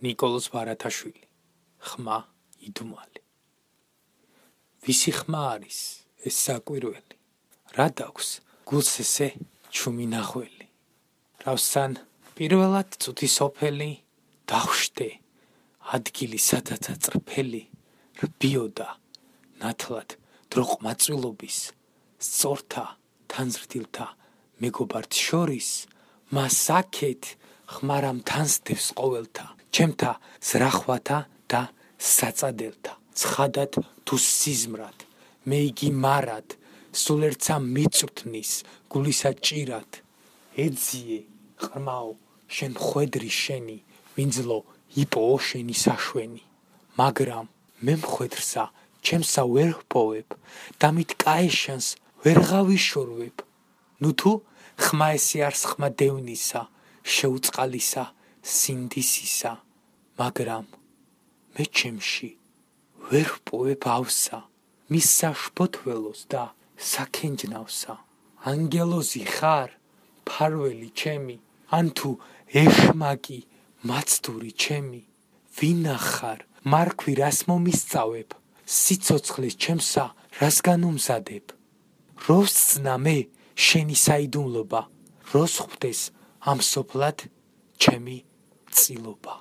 ნიკოლოზ ბარათაშვილი, ხმა იდუმალი. ვისი ხმა არის ეს საკვირველი? რა დაქვს გულს ესე ჩუმი ნახველი? რავსან პირველად წუთი სოფელი, დავშტე ადგილი სადაც აწრფელი, რბიოდა ნათლად დროყმაწვილობის, სწორთა თანზრდილთა მეგობართ შორის, მას აქეთ ხმარამ თანსდევს ყოველთა, ჩემთა ზრახვათა და საწადელთა. ცხადად თუ სიზმრად, მე იგი მარად, სულ ერთსა მიწვრთნის გულისა ჭირად. ეძიე ყრმაო შენ მხვედრი შენი, ვინძლო იპოო შენი საშვენი. მაგრამ მე მხვედრსა ჩემსა ვერ ჰპოვებ და მით კაეშანს ვერ ღავიშორვებ. ნუ თუ ხმა ესე არს ხმა დევნისა, შეუწყალისა, სინდისისა, მაგრამ მე ჩემში ვერ ჰპოვებ ავსა, მის საშფოთველოს და საქენჯნავსა. ანგელოზი ხარ, ფარველი ჩემი, ან თუ ეშმაკი მაცდური ჩემი, ვინახარ, მარქვი რას მომისწავებ, სიცოცხლეს ჩემსა რას განუმზადებ. როს წნა მე შენი საიდუმლობა, როს ხვდეს ამ სოფლად ჩემი წილობა.